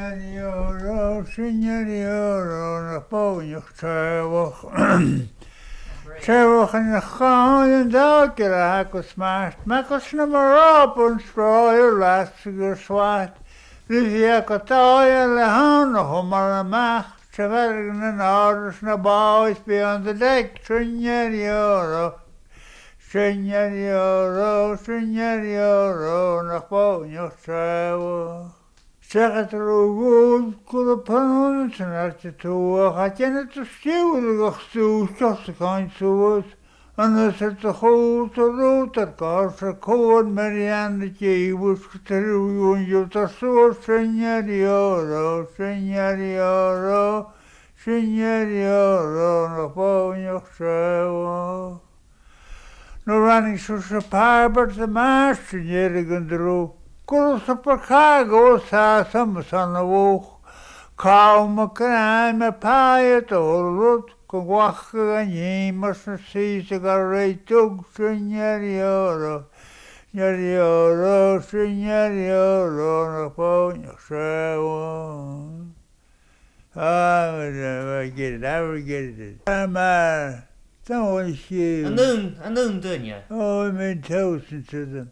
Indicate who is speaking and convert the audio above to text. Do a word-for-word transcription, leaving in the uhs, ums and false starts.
Speaker 1: Signorioro, signorioro, nach bóneach treabhach. Treabhach in cháin dá agus smart, Macas na mará an stráir las gur swat, Ri go táir le hána chu mar amach, Trevergan an áras na báis beyond the deck, Signorioro, Signorioro, Signorioro, nach bóneach treabhach. Seachat go pan san tú a déna tú siúil go stú cain suas, an sa a chó a rótar gá a cóan Marianne déhus trúún tar suas signorioro, signorioro, signorioro nach bóneach treabhach. No running sus a parbert the master an drú. Gurú cargo sa sam san a bhóch, Cá ma crime pa rud go bhcha an nímas na sí go réitug signorioro, Signorioro, signorioro na bóneach treabhach. Ah, I get it, I will get it. I'm uh,
Speaker 2: An dún an dún duine.
Speaker 1: Oh, I made toast to them.